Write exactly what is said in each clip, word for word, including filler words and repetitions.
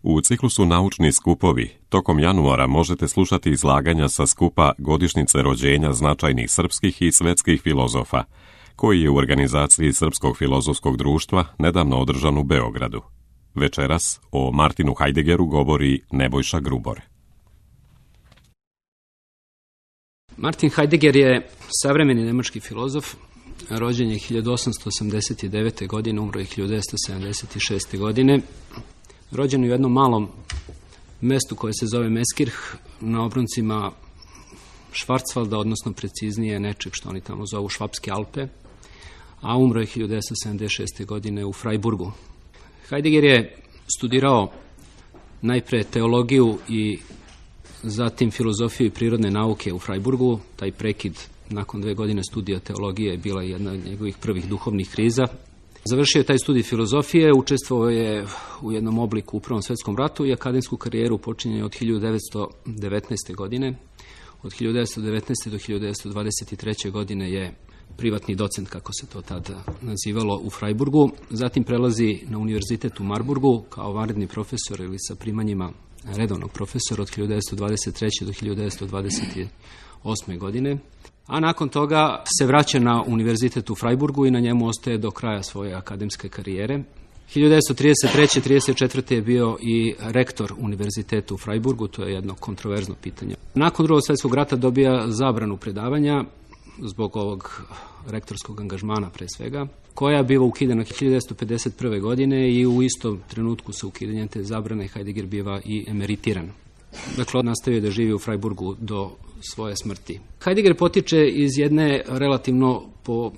U ciklusu Naučni skupovi tokom januara možete slušati izlaganja sa skupa godišnjice rođenja značajnih srpskih i svetskih filozofa, koji je u organizaciji Srpskog filozofskog društva nedavno održan u Beogradu. Večeras o Martinu Heideggeru govori Nebojša Grubor. Martin Heidegger je savremeni nemački filozof, rođen je hiljadu osamsto osamdeset devete. godine, umro je hiljadu devetsto sedamdeset šeste. godine. Rođen u jednom malom mestu koje se zove Meskirch, na obroncima Švarcvalda, odnosno preciznije nečeg što oni tamo zovu Švapske Alpe, a umro je hiljadu devetsto sedamdeset šeste. godine u Freiburgu. Heidegger je studirao najpre teologiju i zatim filozofiju i prirodne nauke u Freiburgu. Taj prekid nakon dve godine studija teologije je bila jedna od njegovih prvih duhovnih kriza. Završio je taj studij filozofije, učestvovao je u jednom obliku u Prvom svetskom ratu i akademsku karijeru počinje od hiljadu devetsto devetnaeste. godine. Od hiljadu devetsto devetnaeste. do hiljadu devetsto dvadeset treće. godine je privatni docent, kako se to tada nazivalo, u Freiburgu. Zatim prelazi na univerzitet u Marburgu kao vanredni profesor ili sa primanjima redovnog profesora od hiljadu devetsto dvadeset treće. do hiljadu devetsto dvadeset osme. godine. A nakon toga se vraća na univerzitet u Freiburgu i na njemu ostaje do kraja svoje akademske karijere. hiljadu devetsto trideset treće. trideset četvrte. je bio i rektor univerziteta u Freiburgu, to je jedno kontroverzno pitanje. Nakon Drugog svjetskog rata dobija zabranu predavanja zbog ovog rektorskog angažmana pre svega, koja biva ukidana hiljadu devetsto pedeset prve. godine i u istom trenutku sa ukidanjem te zabrane Heidegger biva i emeritiran. Dakle, nastavio da živi u Freiburgu do svoje smrti. Heidegger potiče iz jedne relativno po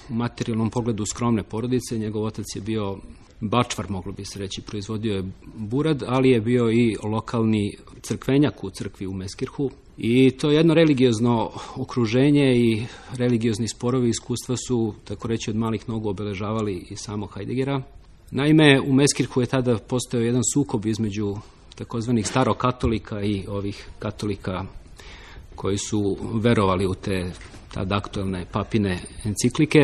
materijalnom pogledu skromne porodice. Njegov otac je bio bačvar, moglo bi se reći, proizvodio je burad, ali je bio i lokalni crkvenjak u crkvi u Meskirchu. I to jedno religiozno okruženje i religiozni sporovi i iskustva su, tako reći, od malih nogu obeležavali i samog Heideggera. Naime, u Meskirchu je tada postojao jedan sukob između takozvanih starokatolika i ovih katolika koji su verovali u te tada aktuelne papine enciklike.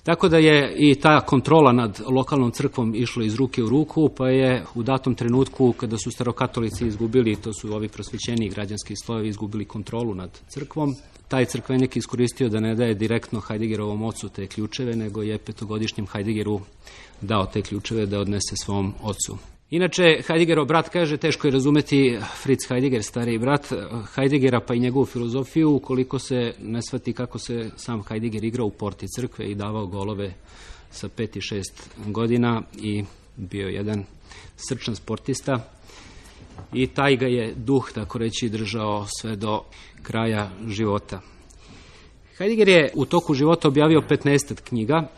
Tako da je i ta kontrola nad lokalnom crkvom išla iz ruke u ruku, pa je u datom trenutku kada su starokatolici izgubili, to su ovi prosvećeni građanski slojevi, izgubili kontrolu nad crkvom, taj crkvenik iskoristio da ne daje direktno Heideggerovom ocu te ključeve, nego je petogodišnjem Heideggeru dao te ključeve da odnese svom ocu. Inače, Heideggerov brat kaže, teško je razumeti Fritz Heidegger, stariji brat Heideggera, pa i njegovu filozofiju, ukoliko se ne shvati kako se sam Heidegger igrao u porti crkve i davao golove sa pet i šest godina i bio jedan srčan sportista. I taj ga je duh, tako reći, držao sve do kraja života. Heidegger je u toku života objavio petnaest knjiga,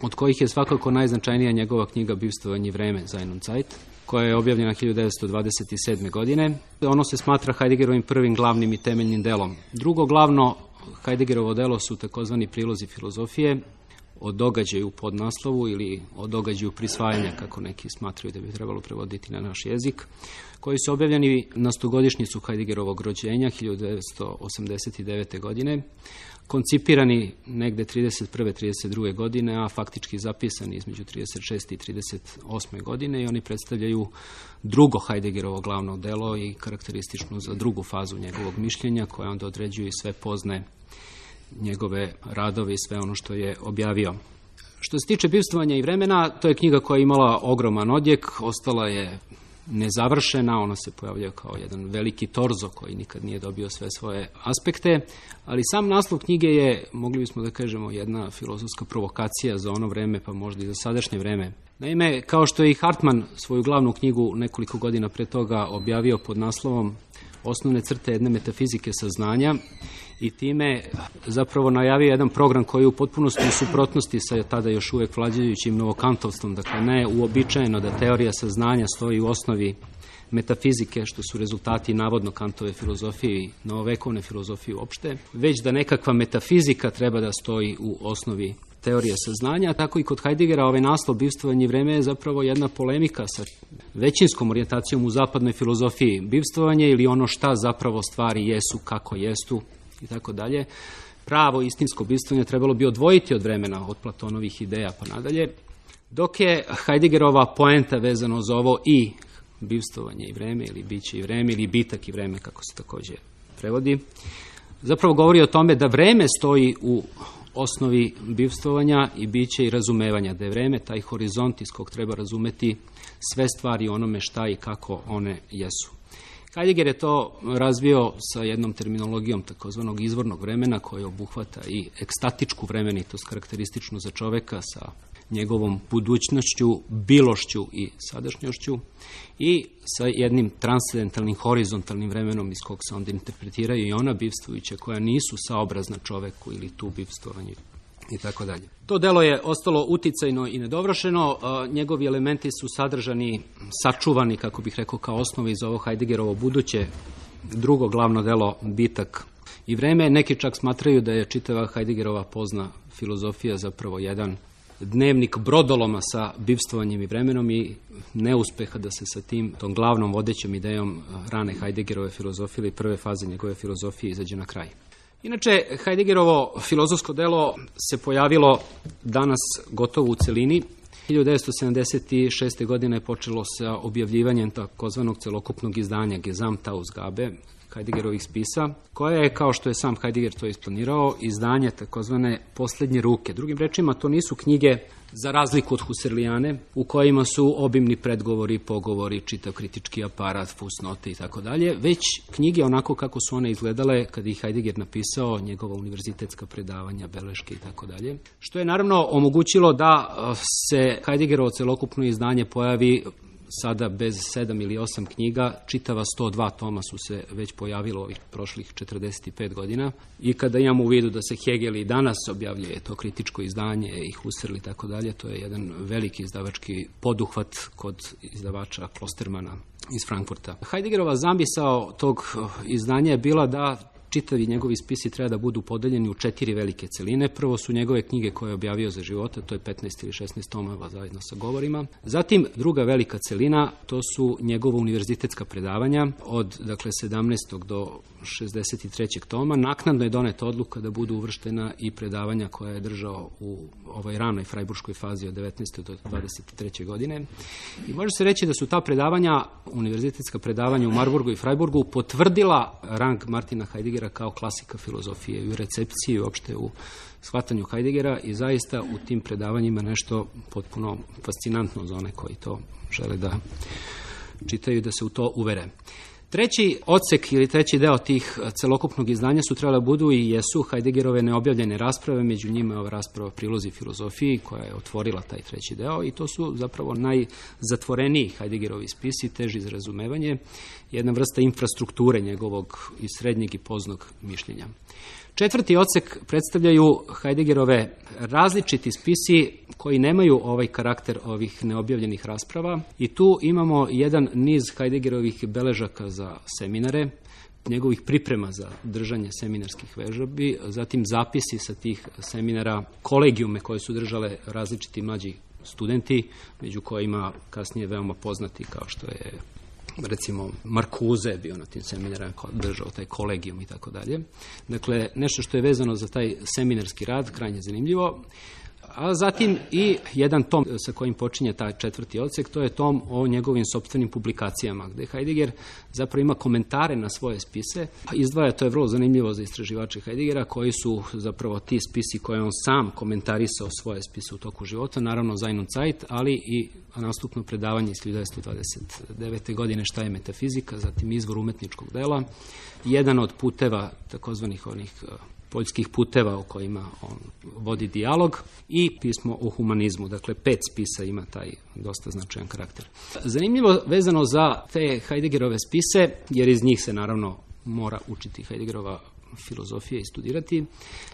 od kojih je svakako najznačajnija njegova knjiga Bivstvovanje i vreme, Sein und Zeit, koja je objavljena hiljadu devetsto dvadeset sedme. godine. Ono se smatra Heideggerovim prvim glavnim i temeljnim delom. Drugo glavno Heideggerovo delo su takozvani prilozi filozofije, o događaju pod naslovu ili o događaju prisvajanja, kako neki smatraju da bi trebalo prevoditi na naš jezik, koji su objavljeni na stogodišnjicu Heideggerovog rođenja hiljadu devetsto osamdeset devete. godine, koncipirani negde trideset prve trideset druge. godine, a faktički zapisani između trideset šeste i trideset osme. godine i oni predstavljaju drugo Heideggerovo glavno delo i karakteristično za drugu fazu njegovog mišljenja, koja onda određuje sve pozne njegove radove i sve ono što je objavio. Što se tiče Bivstvovanja i vremena, to je knjiga koja je imala ogroman odjek, ostala je nezavršena, ona se pojavljuje kao jedan veliki torzo koji nikad nije dobio sve svoje aspekte, ali sam naslov knjige je, mogli bismo da kažemo, jedna filozofska provokacija za ono vreme, pa možda i za sadašnje vreme. Naime, kao što je i Hartmann svoju glavnu knjigu nekoliko godina pre toga objavio pod naslovom Osnovne crte jedne metafizike saznanja i time zapravo najavio jedan program koji je u potpunosti u suprotnosti sa tada još uvek vladajućim novokantovstvom, dakle ne uobičajeno da teorija saznanja stoji u osnovi metafizike, što su rezultati navodno Kantove filozofije i novovekovne filozofije uopšte, već da nekakva metafizika treba da stoji u osnovi teorije saznanja. Tako i kod Heideggera ovaj naslov Bivstvovanje i vreme je zapravo jedna polemika sa većinskom orijentacijom u zapadnoj filozofiji. Bivstvovanje ili ono šta zapravo stvari jesu, kako jesu i tako dalje. Pravo istinsko bivstvovanje trebalo bi odvojiti od vremena, od Platonovih ideja pa nadalje, dok je Heideggerova poenta vezano za ovo i bivstvovanje i vreme ili biće i vreme ili bitak i vreme, kako se takođe prevodi, zapravo govori o tome da vreme stoji u osnovi bivstvovanja i biće i razumevanja, da je vreme taj horizont iz kog treba razumeti sve stvari onome šta i kako one jesu. Heidegger je to razvio sa jednom terminologijom takozvanog izvornog vremena koje obuhvata i ekstatičku vremenitost karakterističnu za čoveka sa njegovom budućnošću, bilošću i sadašnjošću i sa jednim transcendentalnim, horizontalnim vremenom iz kog se onda interpretiraju i ona bivstvujuća koja nisu saobrazna čoveku ili tu bivstvovanju i tako dalje. To delo je ostalo uticajno i nedovršeno, njegovi elementi su sadržani, sačuvani, kako bih rekao, kao osnove iz ovo Heideggerovo buduće drugo glavno delo Bitak i vreme. Neki čak smatraju da je čitava Heideggerova pozna filozofija zapravo jedan dnevnik brodoloma sa bivstvovanjem i vremenom i neuspeha da se sa tim, tom glavnom vodećom idejom rane Heideggerove filozofije ili prve faze njegove filozofije izađe na kraj. Inače, Heideggerovo filozofsko delo se pojavilo danas gotovo u celini. hiljadu devetsto sedamdeset šeste. godine je počelo sa objavljivanjem takozvanog celokupnog izdanja Gesamtausgabe Heideggerovih spisa, koja je, kao što je sam Heidegger to isplanirao, izdanje takozvane poslednje ruke. Drugim rečima, to nisu knjige za razliku od Husserlijane, u kojima su obimni predgovori, pogovori, čitav kritički aparat, fusnote i tako dalje, već knjige onako kako su one izgledale kada ih Heidegger napisao, njegova univerzitetska predavanja, beleške i tako dalje, što je naravno omogućilo da se Heideggerovo celokupno izdanje pojavi sada bez sedam ili osam knjiga, čitava sto dva toma su se već pojavilo ovih prošlih četrdeset pet godina i kada imamo u vidu da se Hegel i danas objavljuje to kritičko izdanje i Husserl i tako dalje, to je jedan veliki izdavački poduhvat kod izdavača Klostermana iz Frankfurta. Heideggerova zamisao tog izdanja je bila da čitavi njegovi spisi treba da budu podeljeni u četiri velike celine. Prvo su njegove knjige koje je objavio za života, to je petnaest ili šesnaest tomova zajedno sa govorima. Zatim druga velika celina, to su njegova univerzitetska predavanja od dakle sedamnaestog do šezdeset trećeg toma. Naknadno je doneta odluka da budu uvrštena i predavanja koja je držao u ovoj ranoj frajburškoj fazi od devetnaeste do dvadeset treće godine. I može se reći da su ta predavanja, univerzitetska predavanja u Marburgu i Frajburgu, potvrdila rang Martina Heideggera kao klasika filozofije i u recepciji i uopšte u shvatanju Heideggera i zaista u tim predavanjima nešto potpuno fascinantno za one koji to žele da čitaju, da se u to uvere. Treći odsek ili treći deo tih celokupnog izdanja su trebala budu i jesu Heideggerove neobjavljene rasprave, među njima je ova rasprava Prilozi filozofiji koja je otvorila taj treći deo i to su zapravo najzatvoreniji Heideggerovi spisi, teži za razumevanje, jedna vrsta infrastrukture njegovog i srednjeg i poznog mišljenja. Četvrti odsek predstavljaju Heideggerove različiti spisi koji nemaju ovaj karakter ovih neobjavljenih rasprava i tu imamo jedan niz Heideggerovih beležaka za seminare, njegovih priprema za držanje seminarskih vežbi, zatim zapisi sa tih seminara, kolegijume koje su držale različiti mlađi studenti, među kojima kasnije veoma poznati kao što je recimo Marcuse bio na tim seminarima, držao taj kolegijum i tako dalje. Dakle, nešto što je vezano za taj seminarski rad, krajnje zanimljivo. A zatim i jedan tom sa kojim počinje taj četvrti odsek, to je tom o njegovim sopstvenim publikacijama, gde Heidegger zapravo ima komentare na svoje spise. Izdvaja, to je vrlo zanimljivo za istraživače Heideggera, koji su zapravo ti spisi koje on sam komentarisao svoje spise u toku života, naravno Sein und Zeit, ali i nastupno predavanje iz hiljadu devetsto dvadeset devete. godine šta je metafizika, zatim izvor umetničkog dela, jedan od puteva takozvanih onih poljskih puteva o kojima on vodi dijalog i pismo o humanizmu. Dakle, pet spisa ima taj dosta značajan karakter. Zanimljivo vezano za te Heideggerove spise, jer iz njih se naravno mora učiti Heideggerova filozofija i studirati,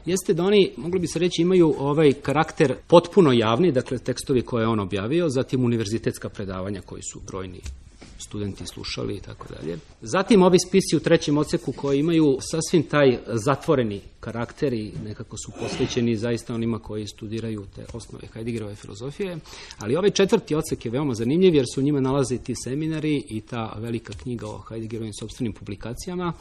jeste da oni, mogli bi se reći, imaju ovaj karakter potpuno javni, dakle tekstovi koje je on objavio, zatim univerzitetska predavanja koji su brojni studenti slušali i tako dalje. Zatim ovi spisi u trećem odseku koji imaju sasvim taj zatvoreni karakteri nekako su posvećeni zaista onima koji studiraju te osnove Heideggerove filozofije, ali ovaj četvrti odsek je veoma zanimljiv jer su u njima nalaze ti seminari i ta velika knjiga o Heideggerovim sopstvenim publikacijama,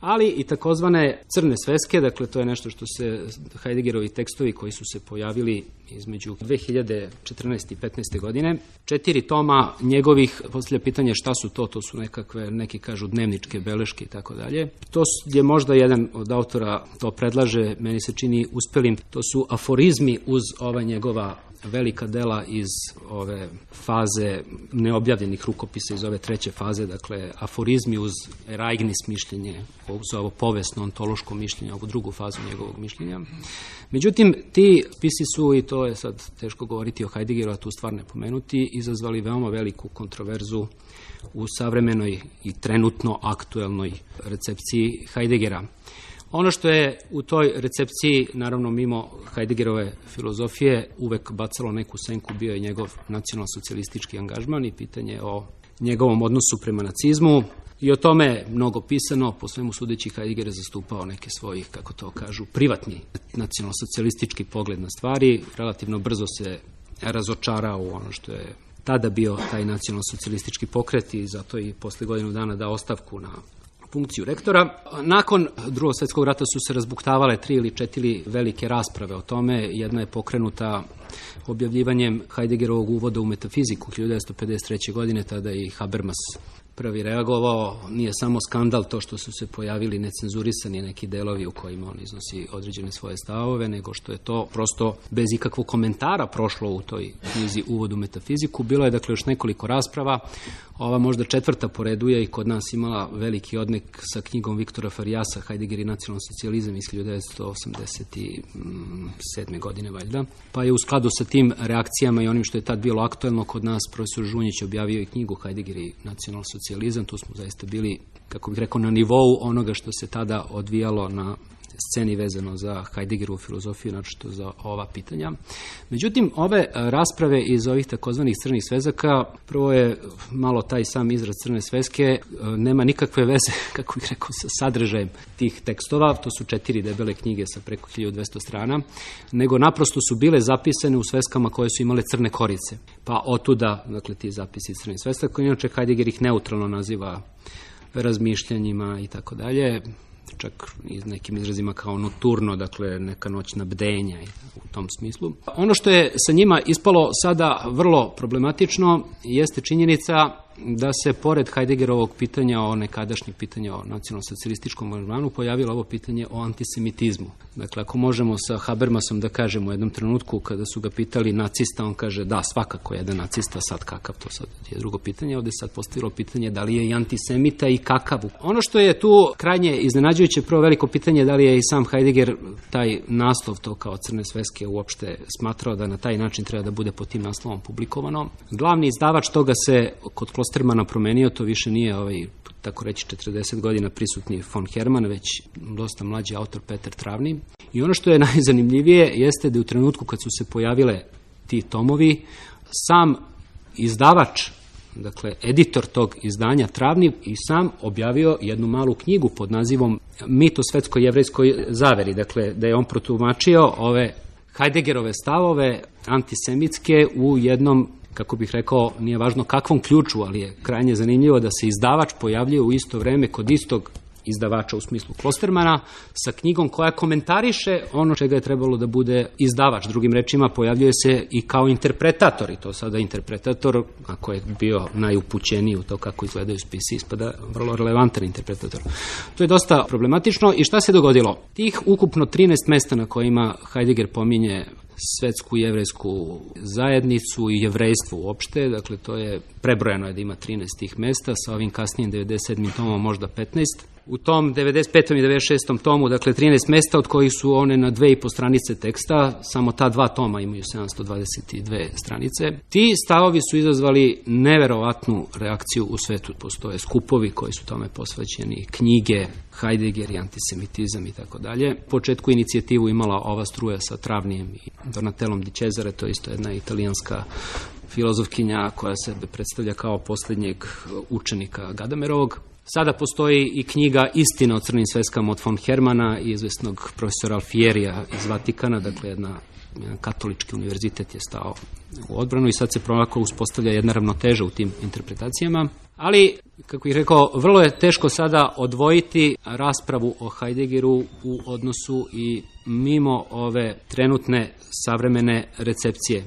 ali i takozvane crne sveske, dakle to je nešto što se Heideggerovi tekstovi koji su se pojavili između dve hiljade četrnaeste i petnaeste godine. Četiri toma njegovih, postavlja pitanje šta su to, to su nekakve, neki kažu dnevničke beleške i tako dalje. To je možda jedan od autora to predlaže, meni se čini uspelim, to su aforizmi uz ova njegova velika dela iz ove faze neobjavljenih rukopisa, iz ove treće faze, dakle aforizmi uz Ereignis mišljenje, uz ovo povesno ontološko mišljenje, ovu drugu fazu njegovog mišljenja. Međutim, ti spisi su, i to je sad teško govoriti o Heideggeru, a tu stvar ne pomenuti, izazvali veoma veliku kontroverzu u savremenoj i trenutno aktuelnoj recepciji Heideggera. Ono što je u toj recepciji, naravno mimo Heideggerove filozofije, uvek bacalo neku senku, bio je njegov nacionalsocijalistički angažman i pitanje o njegovom odnosu prema nacizmu. I o tome je mnogo pisano, po svemu sudeći Heidegger je zastupao neke svojih, kako to kažu, privatni nacionalsocijalistički pogled na stvari. Relativno brzo se razočarao u ono što je tada bio taj nacionalsocijalistički pokret i zato i posle godinu dana dao ostavku na funkciju rektora. Nakon Drugog svjetskog rata su se razbuktavale tri ili četiri velike rasprave o tome. Jedna je pokrenuta objavljivanjem Heideggerovog uvoda u metafiziku hiljadu devetsto pedeset treće. godine, tada i Habermas prvi reagovao. Nije samo skandal to što su se pojavili necenzurisani neki delovi u kojima on iznosi određene svoje stavove, nego što je to prosto bez ikakvog komentara prošlo u toj knjizi Uvod u metafiziku. Bilo je dakle još nekoliko rasprava. Ova možda četvrta po redu je i kod nas imala veliki odnek sa knjigom Viktora Farijasa, Heidegger i nacionalni socijalizam iz hiljadu devetsto osamdeset sedme. godine valjda. Pa je u skladu sa tim reakcijama i onim što je tad bilo aktuelno kod nas, profesor Žunjić objavio i knjigu Heidegger i nacionalni socijalizam. Tu smo zaista bili, kako bih rekao, na nivou onoga što se tada odvijalo na sceni vezano za Heideggerovu filozofiju, naročito za ova pitanja. Međutim, ove rasprave iz ovih takozvanih crnih svezaka, prvo je malo taj sam izraz crne sveske, nema nikakve veze, kako bih rekao, sa sadržajem tih tekstova, to su četiri debele knjige sa preko hiljadu dvesta strana, nego naprosto su bile zapisane u sveskama koje su imale crne korice. Pa otuda, dakle, ti zapisi crnih sveska, koji inače Heidegger ih neutralno naziva razmišljanjima i tako dalje, čak i nekim izrazima kao noturno, dakle neka noćna bdenja i u tom smislu. Ono što je sa njima ispalo sada vrlo problematično jeste činjenica da se pored Heideggerovog pitanja o nekadašnjeg pitanja o nacionalsocijalističkom angažmanu pojavilo ovo pitanje o antisemitizmu. Dakle, ako možemo sa Habermasom da kažemo u jednom trenutku kada su ga pitali nacista, on kaže da, svakako jedan nacista, sad kakav, to sad je drugo pitanje. Ovde sad postavilo pitanje da li je i antisemita i kakav. Ono što je tu krajnje iznenađujuće, prvo veliko pitanje da li je i sam Heidegger taj naslov, to kao crne sveske, uopšte smatrao da na taj način treba da bude pod tim naslovom publikovano. Glavni izdavač toga se kod Klostermana promenio, to više nije ovaj, tako reći, četrdeset godina prisutni von Hermann, već dosta mlađi autor Peter Travni. I ono što je najzanimljivije jeste da u trenutku kad su se pojavile ti tomovi, sam izdavač, dakle editor tog izdanja Travni, i sam objavio jednu malu knjigu pod nazivom Mit o svetsko-jevrejskoj zaveri, dakle da je on protumačio ove Heideggerove stavove antisemitske u jednom, kako bih rekao, nije važno kakvom ključu, ali je krajnje zanimljivo da se izdavač pojavljuje u isto vreme kod istog izdavača u smislu Klostermana sa knjigom koja komentariše ono čega je trebalo da bude izdavač. Drugim rečima, pojavljuje se i kao interpretator, i to sada interpretator, ako je bio najupućeniji u to kako izgledaju spisi, ispada vrlo relevantan interpretator. To je dosta problematično. I šta se dogodilo? Tih ukupno trinaest mesta na kojima Heidegger pominje svetsku jevrejsku zajednicu i jevrejstvo uopšte, dakle to je prebrojano je da ima trinaest tih mesta, sa ovim kasnijim devedeset sedmim tomom možda petnaest. U tom devedeset petom i devedeset šestom tomu, dakle trinaest mesta, od kojih su one na dve i po stranice teksta, samo ta dva toma imaju sedamsto dvadeset dve stranice. Ti stavovi su izazvali neverovatnu reakciju u svetu. Postoje skupovi koji su tome posvećeni, knjige, Heidegger i antisemitizam i tako dalje. U početku inicijativu imala ova struja sa Travnijem i Donatelom di Cesare, to je isto jedna italijanska filozofkinja koja se predstavlja kao posljednjeg učenika Gadamerovog. Sada postoji i knjiga Istina o crnim sveskama od von Hermana i izvesnog profesora Alfierija iz Vatikana, dakle jedna, jedan katolički univerzitet je stao u odbranu i sad se polako uspostavlja jedna ravnoteža u tim interpretacijama. Ali, kako bih rekao, vrlo je teško sada odvojiti raspravu o Heideggeru u odnosu i mimo ove trenutne savremene recepcije.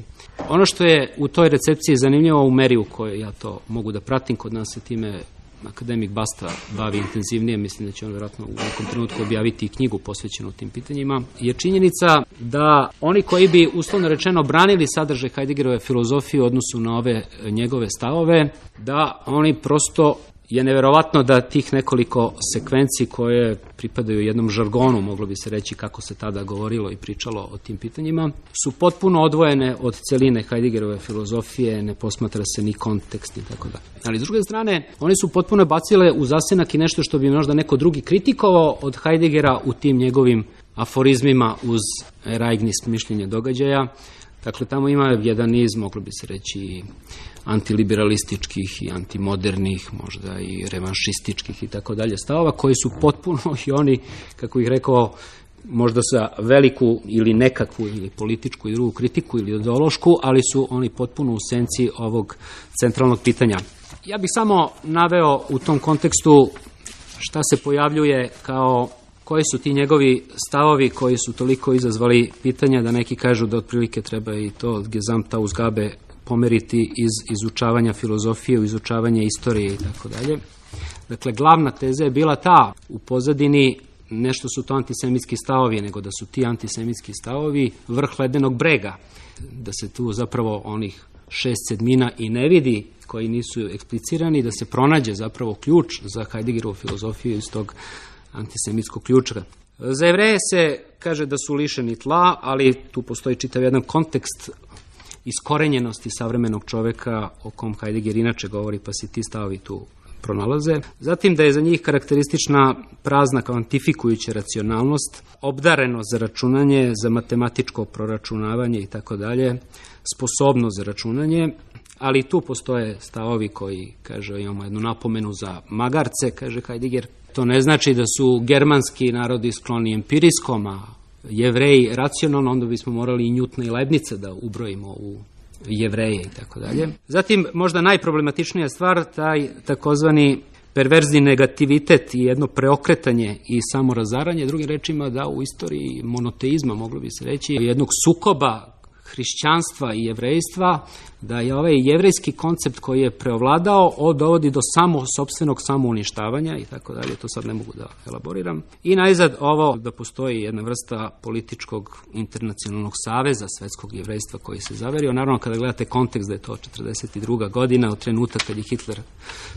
Ono što je u toj recepciji zanimljivo u meri u kojoj ja to mogu da pratim, kod nas se time akademik Basta bavi intenzivnije, mislim da će on vjerojatno u nekom trenutku objaviti i knjigu posvećenu tim pitanjima, je činjenica da oni koji bi uslovno rečeno branili sadržaj Heideggerove filozofije u odnosu na ove njegove stavove, da oni prosto je neverovatno da tih nekoliko sekvenci koje pripadaju jednom žargonu, moglo bi se reći kako se tada govorilo i pričalo o tim pitanjima, su potpuno odvojene od celine Heideggerove filozofije, ne posmatra se ni kontekst i tako dalje. Ali s druge strane, oni su potpuno bacile u zasenak i nešto što bi možda neko drugi kritikovao od Heideggera u tim njegovim aforizmima uz Ereignis, mišljenje događaja. Dakle, tamo ima jedan niz, moglo bi se reći, antiliberalističkih i antimodernih, možda i revanšističkih i tako dalje stavova, koji su potpuno i oni, kako ih rekao, možda sa veliku ili nekakvu ili političku i drugu kritiku ili ideološku, ali su oni potpuno u senci ovog centralnog pitanja. Ja bih samo naveo u tom kontekstu šta se pojavljuje kao koji su ti njegovi stavovi koji su toliko izazvali pitanja da neki kažu da otprilike treba i to Gesamtausgabe pomeriti iz izučavanja filozofije u izučavanje istorije i tako dalje. Dakle, glavna teza je bila ta u pozadini, nešto su to antisemitski stavovi, nego da su ti antisemitski stavovi vrh ledenog brega, da se tu zapravo onih šest sedmina i ne vidi, koji nisu eksplicirani, da se pronađe zapravo ključ za Heideggerovu filozofiju iz tog antisemitskog ključa. Za Jevreje se kaže da su lišeni tla, ali tu postoji čitav jedan kontekst iskorenjenosti savremenog čoveka o kom Heidegger inače govori, pa se ti stavovi tu pronalaze. Zatim da je za njih karakteristična prazna kvantifikujuća racionalnost, obdarenost za računanje, za matematičko proračunavanje i tako dalje, sposobnost za računanje, ali tu postoje stavovi koji, kaže, imamo jednu napomenu za magarce, kaže Heidegger. To ne znači da su germanski narodi skloni empirijskom, a Jevreji racionalno, onda bismo morali i Njutna i Leibnica da ubrojimo u Jevreje i tako dalje. Zatim, možda najproblematičnija stvar, taj takozvani perverzni negativitet i jedno preokretanje i samorazaranje, drugim rečima da u istoriji monoteizma, moglo bi se reći, jednog sukoba hrišćanstva i jevrejstva, da je ovaj jevrejski koncept koji je preovladao dovodi do samo sopstvenog samouništavanja i tako dalje, to sad ne mogu da elaboriram. I najzad ovo da postoji jedna vrsta političkog internacionalnog saveza svetskog jevrejstva koji se zaverio. Naravno, kada gledate kontekst da je to četrdeset druga godina, od trenutka kad je Hitler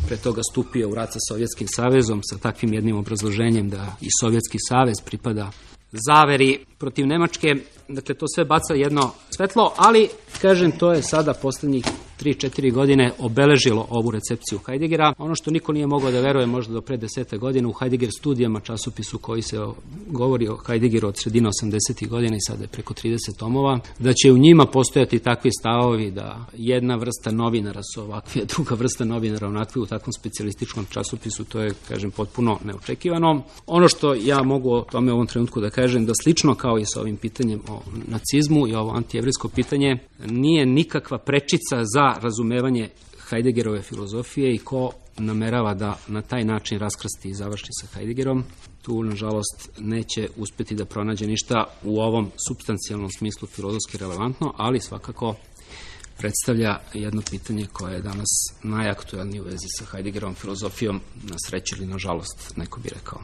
pre toga stupio u rat sa Sovjetskim savezom, sa takvim jednim obrazloženjem da i Sovjetski savez pripada zaveri protiv Nemačke, dakle to sve baca jedno svetlo, ali kažem, to je sada posljednjih tri četiri godine obeležilo ovu recepciju Heideggera. Ono što niko nije mogao da veruje možda do pre desete godine u Heidegger studijama, časopisu koji se govori o Heideggeru od sredine osamdesetih godina i sada je preko trideset tomova, da će u njima postojati takvi stavovi da jedna vrsta novinara su ovakvi, a druga vrsta novinara onakvi u takvom specijalističkom časopisu, to je, kažem, potpuno neočekivano. Ono što ja mogu o tome u ovom trenutku da kažem, da slično kao i sa ovim pitanjem o nacizmu i ovo antijevrijsko pitanje, nije nikakva prečica za razumevanje Heideggerove filozofije i ko namerava da na taj način raskrsti i završi sa Heideggerom, tu, nažalost, neće uspjeti da pronađe ništa u ovom supstancijalnom smislu filozofski relevantno, ali svakako predstavlja jedno pitanje koje je danas najaktuelnije u vezi sa Heideggerovom filozofijom, na sreću ili nažalost, neko bi rekao.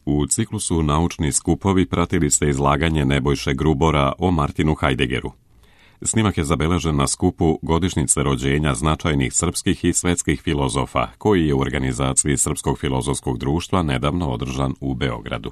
U ciklusu Naučni skupovi pratili ste izlaganje Nebojše Grubora o Martinu Heideggeru. Snimak je zabeležen na skupu godišnjice rođenja značajnih srpskih i svetskih filozofa, koji je u organizaciji Srpskog filozofskog društva nedavno održan u Beogradu.